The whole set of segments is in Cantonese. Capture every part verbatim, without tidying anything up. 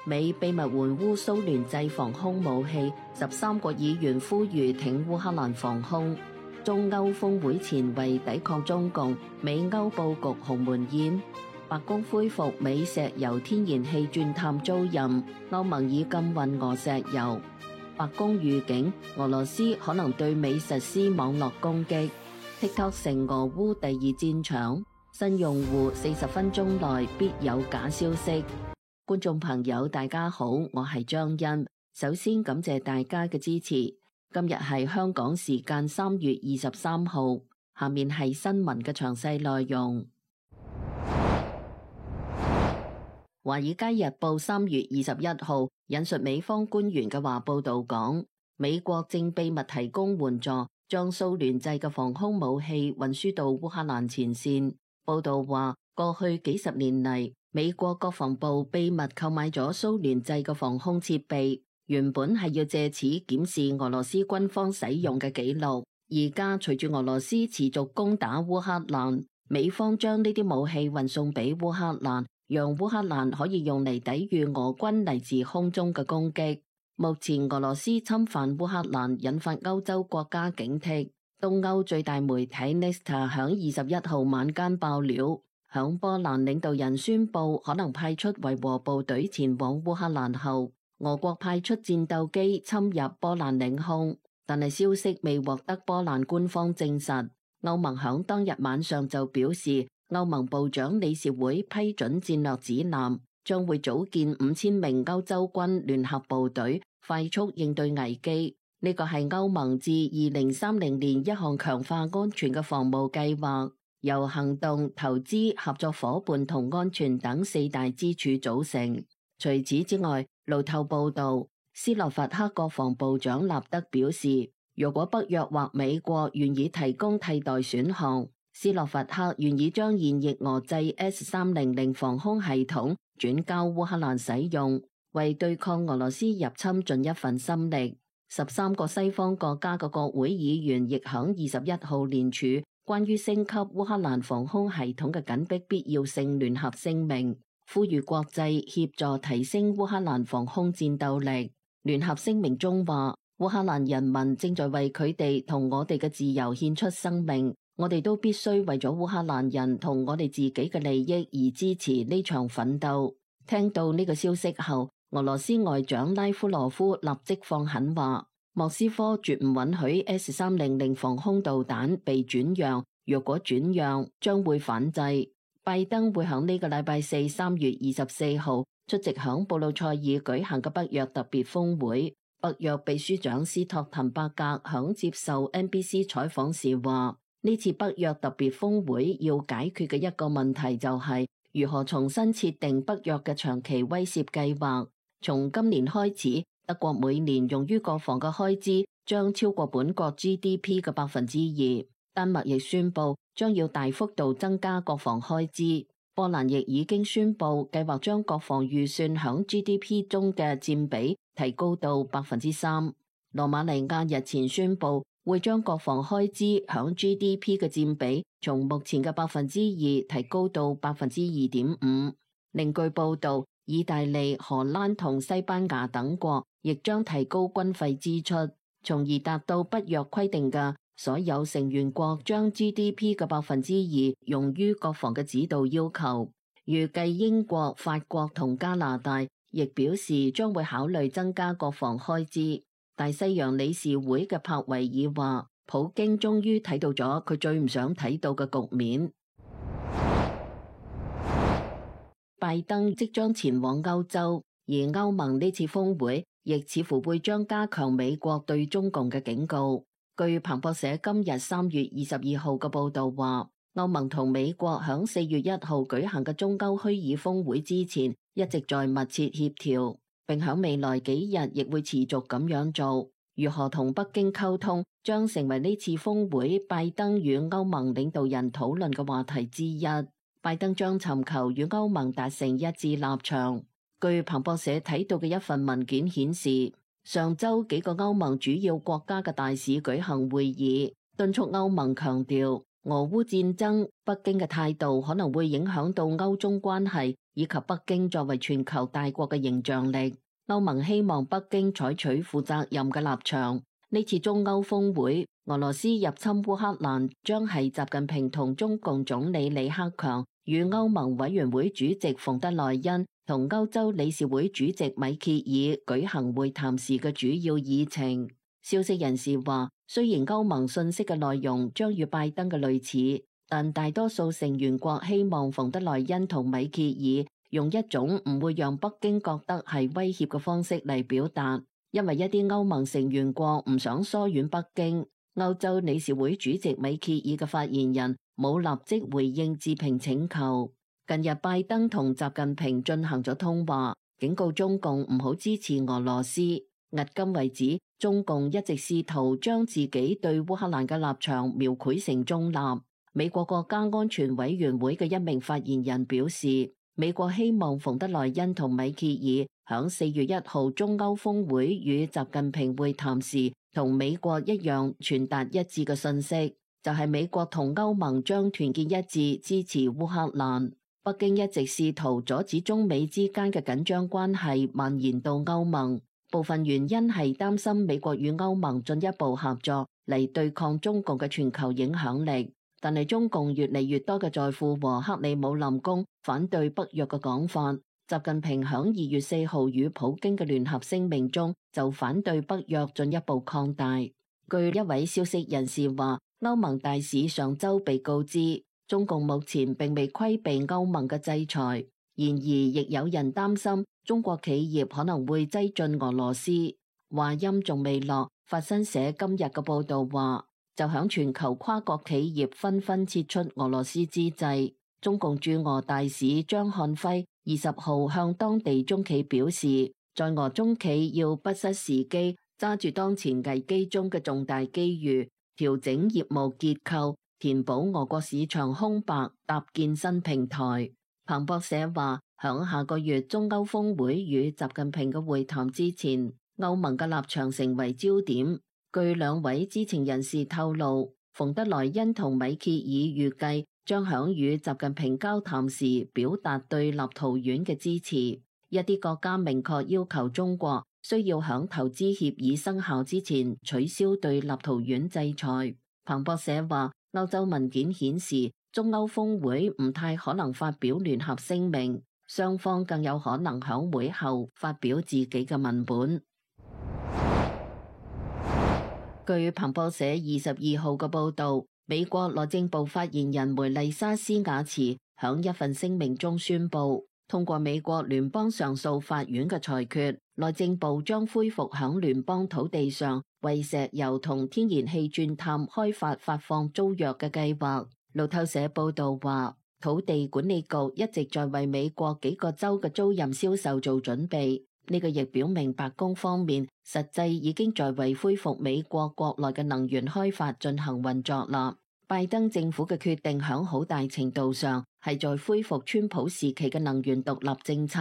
美秘密援烏蘇聯製防空武器，十三國議員呼籲挺烏克蘭防空。中歐峰會前為抵抗中共，美歐佈局鴻門宴。白宮恢復美石油天然氣鑽探租賃，歐盟已禁運俄石油。白宮預警俄羅斯可能對美實施網絡攻擊。TikTok 成俄烏第二戰場，新用戶四十分鐘內必有假消息。觀眾朋友大家好，我係張欣。首先感謝大家嘅支持。今日係香港時間三月二十三號，下面係新聞嘅詳細內容。華爾街日報三月二十一號引述美方官員嘅話報道講，美國正秘密提供援助，將蘇聯製嘅防空武器運輸到烏克蘭前線。報道話，過去幾十年嚟，美國國防部秘密購買咗蘇聯製嘅防空設備，原本係要借此檢視俄羅斯軍方使用嘅記錄。而家隨住俄羅斯持續攻打烏克蘭，美方將呢啲武器運送俾烏克蘭，讓烏克蘭可以用嚟抵禦俄軍嚟自空中嘅攻擊。目前俄羅斯侵犯烏克蘭，引發歐洲國家警惕。東歐最大媒體 Nesta 響二十一號晚間爆料，響波蘭領導人宣布可能派出維和部隊前往烏克蘭後，俄國派出戰鬥機侵入波蘭領空，但係消息未獲得波蘭官方證實。歐盟響當日晚上就表示，歐盟部長理事會批准戰略指南，將會組建五千名歐洲軍聯合部隊，快速應對危機。呢個係歐盟自二零三零年一項強化安全嘅防務計劃，由行動、投資、合作夥伴同安全等四大支柱組成。除此之外，路透報道，斯洛伐克國防部長納德表示，如果北約或美國願意提供替代選項，斯洛伐克願意將現役俄製 S 三零零防空系統轉交烏克蘭使用，為對抗俄羅斯入侵盡一份心力。十三個西方國家嘅國會議員亦響二十一號聯署關於升級烏克蘭防空系統嘅緊迫必要性聯合聲明，呼籲國際協助提升烏克蘭防空戰鬥力。聯合聲明中話，烏克蘭人民正在為佢哋同我哋嘅自由獻出生命，我哋都必須為咗烏克蘭人同我哋自己嘅利益而支持呢場奮鬥。聽到呢個消息後，俄羅斯外長拉夫羅夫立即放狠話，莫斯科絕唔允許 S 三零零防空導彈被轉讓，若果轉讓將會反制。拜登會喺呢個禮拜四三月二十四號出席響布魯塞爾舉行嘅北約特別峰會。北約秘書長斯托滕伯格響接受 N B C 採訪時話，呢次北約特別峰會要解決嘅一個問題就係如何重新設定北約嘅長期威懾計劃。從今年開始，德國每年用於國防嘅開支將超過本國 G D P 嘅百分之二。丹麥亦宣布將要大幅度增加國防開支。波蘭亦已經宣布計劃將國防預算響 G D P 中嘅佔比提高到百分之三。羅馬尼亞日前宣布會將國防開支響 G D P 嘅佔比從目前嘅百分之二提高到百分之二點五。另據報道，意大利、荷蘭同西班牙等國亦將提高軍費支出，從而達到北約規定嘅所有成員國將 G D P 嘅百分之二用於國防嘅指導要求。預計英國、法國同加拿大亦表示將會考慮增加國防開支。大西洋理事會嘅帕維爾話，普京終於睇到咗佢最唔想睇到嘅局面。拜登即將前往歐洲，而歐盟呢次峰會亦似乎會將加強美國對中共嘅警告。據彭博社今日三月二十二號嘅報道話，歐盟同美國響四月一號舉行嘅中歐虛擬峰會之前，一直在密切協調，並響未來幾日亦會持續咁樣做。如何同北京溝通，將成為呢次峰會拜登與歐盟領導人討論嘅話題之一。拜登將尋求與歐盟達成一致立場。據彭博社睇到嘅一份文件顯示，上週幾個歐盟主要國家嘅大使舉行會議，敦促歐盟強調俄烏戰爭，北京嘅態度可能會影響到歐中關係，以及北京作為全球大國嘅影響力。歐盟希望北京採取負責任嘅立場。呢次中歐峰會，俄羅斯入侵烏克蘭將係習近平同中共總理李克強與歐盟委員會主席馮德萊恩同歐洲理事會主席米歇爾舉行會談時嘅主要議程。消息人士話，雖然歐盟信息嘅內容將與拜登嘅類似，但大多數成員國希望馮德萊恩同米歇爾用一種唔會讓北京覺得係威脅嘅方式嚟表達。因為一啲歐盟成員國唔想疏遠北京，歐洲理事會主席米歇爾嘅發言人冇立即回應置評請求。近日拜登同習近平進行咗通話，警告中共唔好支持俄羅斯。迄今為止，中共一直試圖將自己對烏克蘭嘅立場描繪成中立。美國國家安全委員會嘅一名發言人表示，美國希望馮德萊恩同米歇爾響四月一號中歐峰會與習近平會談時，同美國一樣傳達一致嘅信息，就係美國同歐盟將團結一致支持烏克蘭。北京一直試圖阻止中美之間嘅緊張關係蔓延到歐盟，部分原因係擔心美國與歐盟進一步合作嚟對抗中共嘅全球影響力。但係中共越嚟越多嘅在乎和克里姆林宮反對北約嘅講法。習近平響二月四號與普京嘅聯合聲明中就反對北約進一步擴大。據一位消息人士話，歐盟大使上周被告知，中共目前並未規避歐盟嘅制裁，然而亦有人擔心中國企業可能會擠進俄羅斯。話音仲未落，法新社今日嘅報道話，就響全球跨國企業紛紛撤出俄羅斯之際，中共駐俄大使張漢輝二十號向當地中企表示，在俄中企要不失時機，揸住當前危機中嘅重大機遇，調整業務結構，填補俄國市場空白，搭建新平台。彭博社話，響下個月中歐峰會與習近平嘅會談之前，歐盟嘅立場成為焦點。據兩位知情人士透露，馮德萊恩同米歇爾預計將響與習近平交談時表達對立陶宛嘅支持。一啲國家明確要求中國需要響投資協議生效之前取消對立陶宛制裁。彭博社話，歐洲文件顯示，中歐峰會唔太可能發表聯合聲明，雙方更有可能響會後發表自己嘅文本。據彭博社二十二號嘅報導，美國內政部發言人梅麗莎斯雅茨響一份聲明中宣布，通過美國聯邦上訴法院嘅裁決，內政部將恢復響聯邦土地上為石油同天然氣鑽探開發發放租約嘅計劃。路透社報導話，土地管理局一直在為美國幾個州嘅租賃銷售做準備。呢個亦表明白宮方面實際已經在為恢復美國國內嘅能源開發進行運作啦。拜登政府嘅決定響好大程度上係在恢復川普時期嘅能源獨立政策。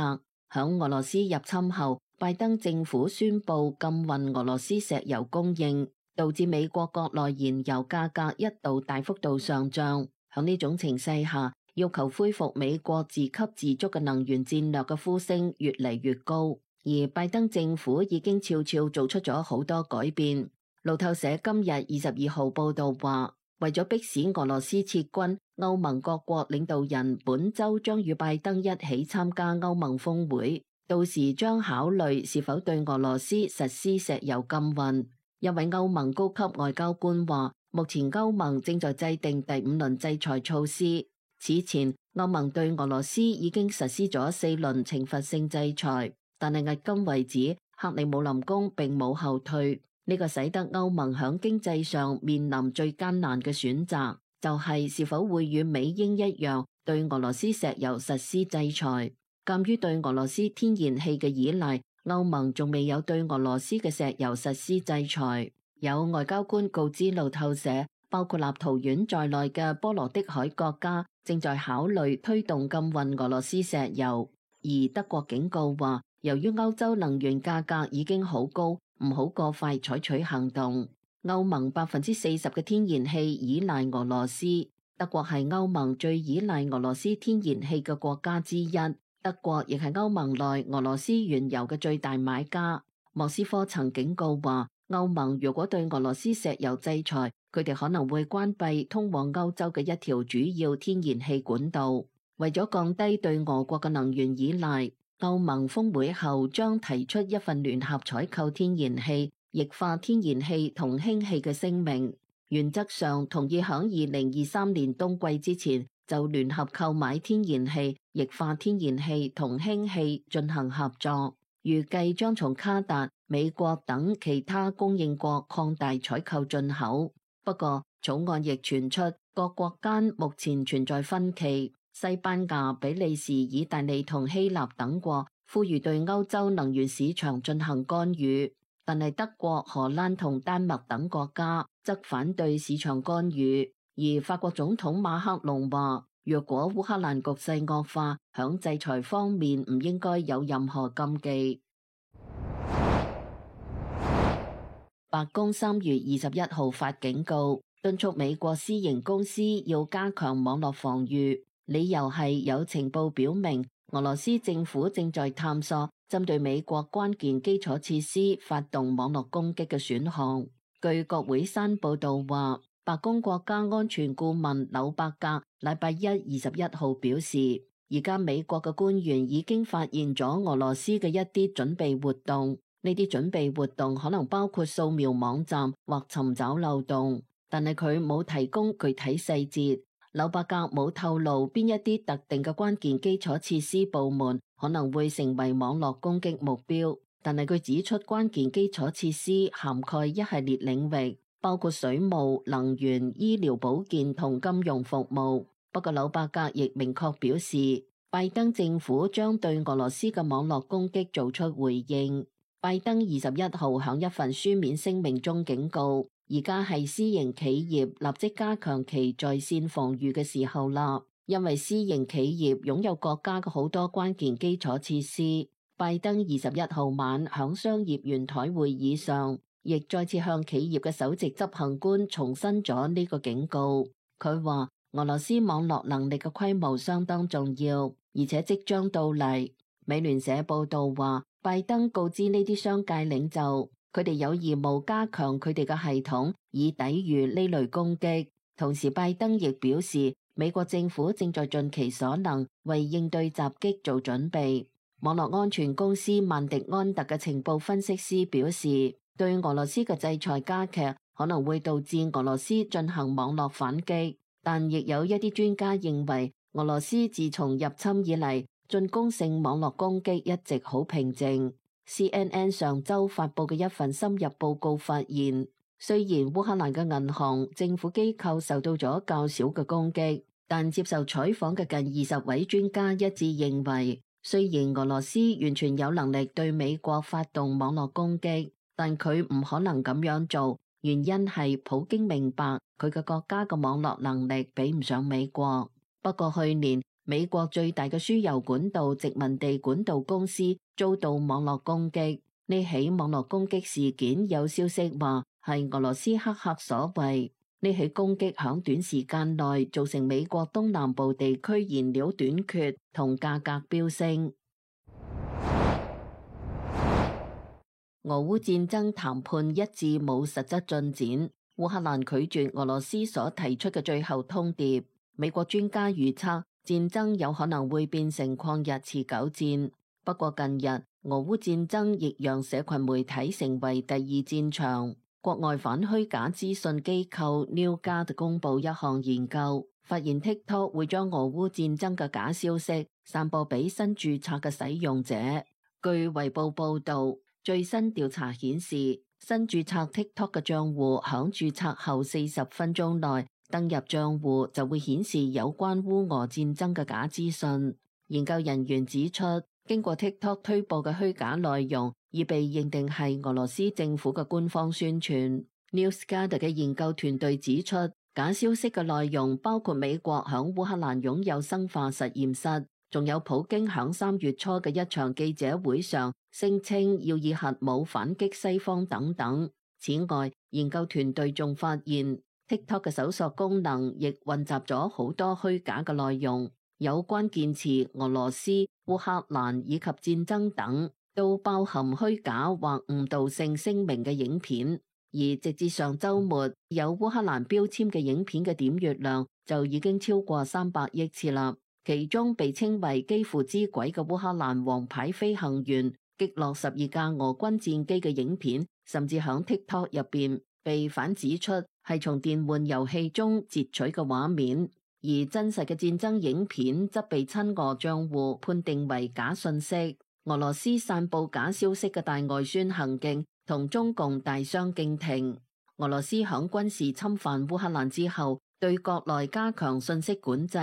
響俄羅斯入侵後，拜登政府宣布禁運俄羅斯石油供應，導致美國國內燃油價格一度大幅度上漲。響呢種情勢下，要求恢復美國自給自足嘅能源戰略嘅呼聲越嚟越高。而拜登政府已經悄悄做出咗好多改變。路透社今日二十二號報道話，為咗迫使俄羅斯撤軍，歐盟各國領導人本週將與拜登一起參加歐盟峰會，到時將考慮是否對俄羅斯實施石油禁運。一位歐盟高級外交官話，目前歐盟正在制定第五輪制裁措施。此前，歐盟對俄羅斯已經實施咗四輪懲罰性制裁。但係迄今為止，克里姆林宮並冇後退，呢個使得歐盟響經濟上面臨最艱難嘅選擇，就係是否會與美英一樣對俄羅斯石油實施制裁。鑑於對俄羅斯天然氣嘅依賴，歐盟仲未有對俄羅斯嘅石油實施制裁。有外交官告知路透社，包括立陶宛在內嘅波羅的海國家正在考慮推動禁運俄羅斯石油，而德國警告話，由於歐洲能源價格已經好高，唔好過快採取行動。歐盟百分之四十嘅天然氣依賴俄羅斯，德國係歐盟最依賴俄羅斯天然氣嘅國家之一。德國亦係歐盟內俄羅斯原油嘅最大買家。莫斯科曾警告話，歐盟如果對俄羅斯石油制裁，佢哋可能會關閉通往歐洲嘅一條主要天然氣管道。為咗降低對俄國嘅能源依賴，歐盟峰會後將提出一份聯合採購天然氣、液化天然氣同氫氣嘅聲明，原則上同意響二零二三年冬季之前就聯合購買天然氣、液化天然氣同氫氣進行合作，預計將從卡達、美國等其他供應國擴大採購進口。不過，草案亦傳出各國間目前存在分歧。西班牙、比利時、意大利同希臘等國呼籲對歐洲能源市場進行干預，但係德國、荷蘭同丹麥等國家則反對市場干預。而法國總統馬克龍話，若果烏克蘭局勢惡化，響制裁方面唔應該有任何禁忌。白宮三月二十一號發警告，敦促美國私營公司要加強網絡防禦。理由係有情報表明，俄羅斯政府正在探索針對美國關鍵基礎設施發動網絡攻擊嘅選項。據國會山報道話，白宮國家安全顧問紐伯格禮拜一二十一號表示，而家美國嘅官員已經發現咗俄羅斯嘅一啲準備活動，呢啲準備活動可能包括掃描網站或尋找漏洞，但係佢冇提供具體細節。紐伯格冇透露邊一啲特定嘅關鍵基礎設施部門可能會成為網絡攻擊目標，但係佢指出關鍵基礎設施涵蓋一系列領域，包括水務、能源、醫療保健同金融服務。不過紐伯格亦明確表示，拜登政府將對俄羅斯嘅網絡攻擊做出回應。拜登二十一號響一份書面聲明中警告，而家係私營企業立即加強其在線防禦嘅時候啦，因為私營企業擁有國家嘅好多關鍵基礎設施。拜登二十一號晚響商業圓台會議上，亦再次向企業嘅首席執行官重申咗呢個警告。佢話俄羅斯網絡能力嘅規模相當重要，而且即將到嚟。美聯社報道話，拜登告知呢啲商界領袖，佢哋有義務加強佢哋嘅系統，以抵禦呢類攻擊。同時，拜登亦表示，美國政府正在盡其所能為應對襲擊做準備。網絡安全公司曼迪安特嘅情報分析師表示，對俄羅斯嘅制裁加劇可能會導致俄羅斯進行網絡反擊，但亦有一啲專家認為，俄羅斯自從入侵以嚟，進攻性網絡攻擊一直好平靜。C N N 上週發佈嘅一份深入報告發現，雖然烏克蘭嘅銀行、政府機構受到咗較少嘅攻擊，但接受採訪嘅近二十位專家一致認為，雖然俄羅斯完全有能力對美國發動網絡攻擊，但佢唔可能咁樣做，原因係普京明白佢嘅國家嘅網絡能力比唔上美國。不過去年，美國最大嘅輸油管道殖民地管道公司遭到網絡攻擊，呢起網絡攻擊事件有消息話係俄羅斯黑客所為。呢起攻擊響短時間內造成美國東南部地區燃料短缺同價格飆升。俄烏戰爭談判一致冇實質進展，烏克蘭拒絕俄羅斯所提出嘅最後通牒。美國專家預測，戰爭有可能會變成曠日持久戰，不過近日俄烏戰爭亦讓社群媒體成為第二戰場。國外反虛假資訊機構 NewGuard 公佈一項研究，發現 TikTok 會將俄烏戰爭嘅假消息散播俾新註冊嘅使用者。據衛報報導，最新調查顯示，新註冊 TikTok 嘅賬戶響註冊後四十分鐘內登入賬戶就會顯示有關烏俄戰爭嘅假資訊。研究人員指出，經過 TikTok 推播嘅虛假內容已被認定係俄羅斯政府嘅官方宣傳。NewsGuard 嘅研究團隊指出，假消息嘅內容包括美國響烏克蘭擁有生化實驗室，仲有普京響三月初嘅一場記者會上聲稱要以核武反擊西方等等。此外，研究團隊仲發現，TikTok 嘅搜索功能亦混雜咗好多虛假嘅內容，有關鍵詞俄羅斯、烏克蘭以及戰爭等，都包含虛假或誤導性聲明嘅影片。而直至上週末，有烏克蘭標籤嘅影片嘅點閱量就已經超過三百億次啦。其中被稱為基輔之鬼嘅烏克蘭王牌飛行員擊落十二架俄軍戰機嘅影片，甚至響 TikTok 入邊被反指出係從電玩遊戲中截取嘅畫面，而真實嘅戰爭影片則被親俄賬戶判定為假信息。俄羅斯散佈假消息嘅大外宣行徑同中共大相徑庭。俄羅斯響軍事侵犯烏克蘭之後，對國內加強信息管制，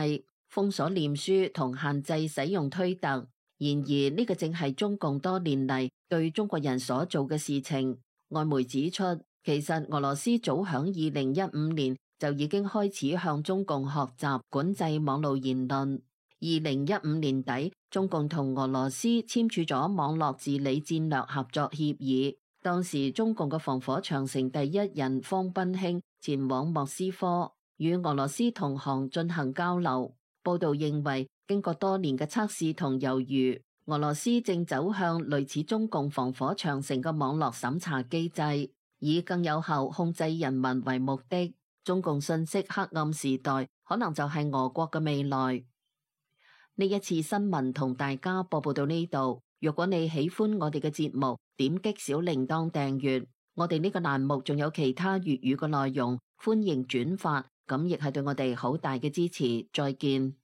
封鎖臉書同限制使用推特。然而呢個正係中共多年嚟對中國人所做嘅事情。外媒指出，其實俄羅斯早響二零一五年就已經開始向中共學習管制網絡言論。二零一五年底，中共同俄羅斯簽署咗網絡治理戰略合作協議。當時中共嘅防火長城第一人方斌興前往莫斯科，與俄羅斯同行進行交流。報道認為，經過多年嘅測試同猶豫，俄羅斯正走向類似中共防火長城嘅網絡審查機制，以更有效控制人民為目的。中共信息黑暗時代可能就係俄國嘅未來。呢一次新聞同大家播報到呢度。如果你喜歡我哋嘅節目，點擊小鈴鐺訂閱。我哋呢個欄目仲有其他粵語嘅內容，歡迎轉發，咁亦係對我哋好大嘅支持。再見。